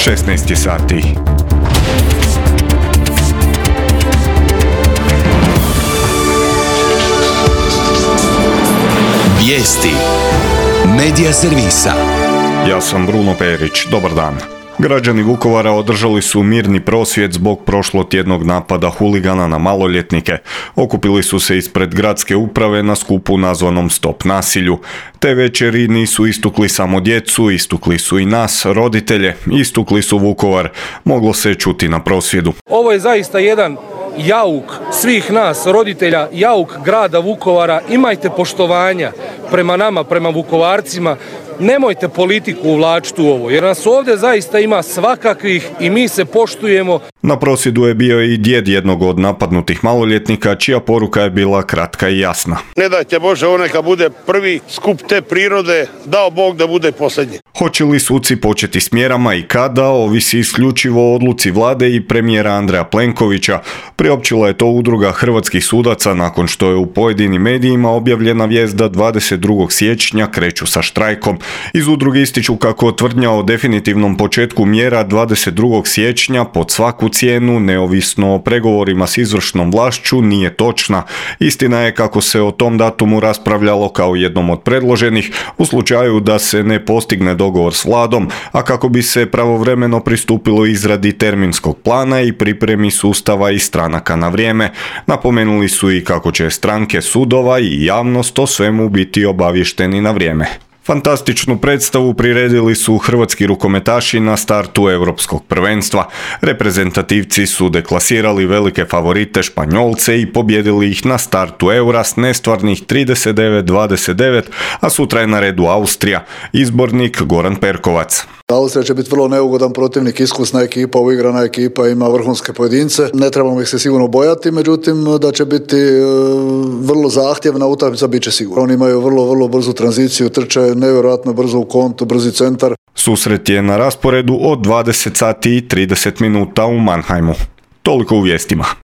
16 sati. Vijesti Medija servisa. Ja sam Bruno Perić, dobar dan. Građani Vukovara održali su mirni prosvjed zbog prošlotjednog napada huligana na maloljetnike. Okupili su se ispred gradske uprave na skupu nazvanom Stop nasilju. Te večeri nisu istukli samo djecu, istukli su i nas, roditelje, istukli su Vukovar. Moglo se čuti na prosvjedu. Ovo je zaista jedan jauk svih nas, roditelja, jauk grada Vukovara. Imajte poštovanja prema nama, prema Vukovarcima. Nemojte politiku uvlačiti u ovo, jer nas ovdje zaista ima svakakvih i mi se poštujemo. Na prosvjedu je bio i djed jednog od napadnutih maloljetnika, čija poruka je bila kratka i jasna. Ne dajte Bože, on neka bude prvi skup te prirode, dao Bog da bude posljednji. Hoće li suci početi s mjerama i kada, ovisi isključivo o odluci vlade i premijera Andreja Plenkovića. Priopćila je to udruga hrvatskih sudaca nakon što je u pojedinim medijima objavljena vijest da 22. siječnja kreću sa štrajkom. Iz udruge ističu kako tvrdnja o definitivnom početku mjera 22. siječnja pod svaku cijenu, neovisno o pregovorima s izvršnom vlašću, nije točna. Istina je kako se o tom datumu raspravljalo kao jednom od predloženih u slučaju da se ne postigne dogovor s vladom, a kako bi se pravovremeno pristupilo izradi terminskog plana i pripremi sustava i stranaka na vrijeme. Napomenuli su i kako će stranke, sudova i javnost o svemu biti obavješteni na vrijeme. Fantastičnu predstavu priredili su hrvatski rukometaši na startu europskog prvenstva. Reprezentativci su deklasirali velike favorite Španjolce i pobjedili ih na startu Eura s nestvarnih 39-29, a sutra je na redu Austrija. Izbornik Goran Perkovac. Austrija će biti vrlo neugodan protivnik, iskusna ekipa, uigrana ekipa, ima vrhunske pojedince. Ne trebamo ih se sigurno bojati, međutim da će biti vrlo zahtjevna utakmica, bit će sigurno. Oni imaju vrlo brzu tranziciju, trče nevjerojatno brzo u kontu, brzi centar. Susret je na rasporedu od 20 sati i 30 minuta u Mannheimu. Toliko u vijestima.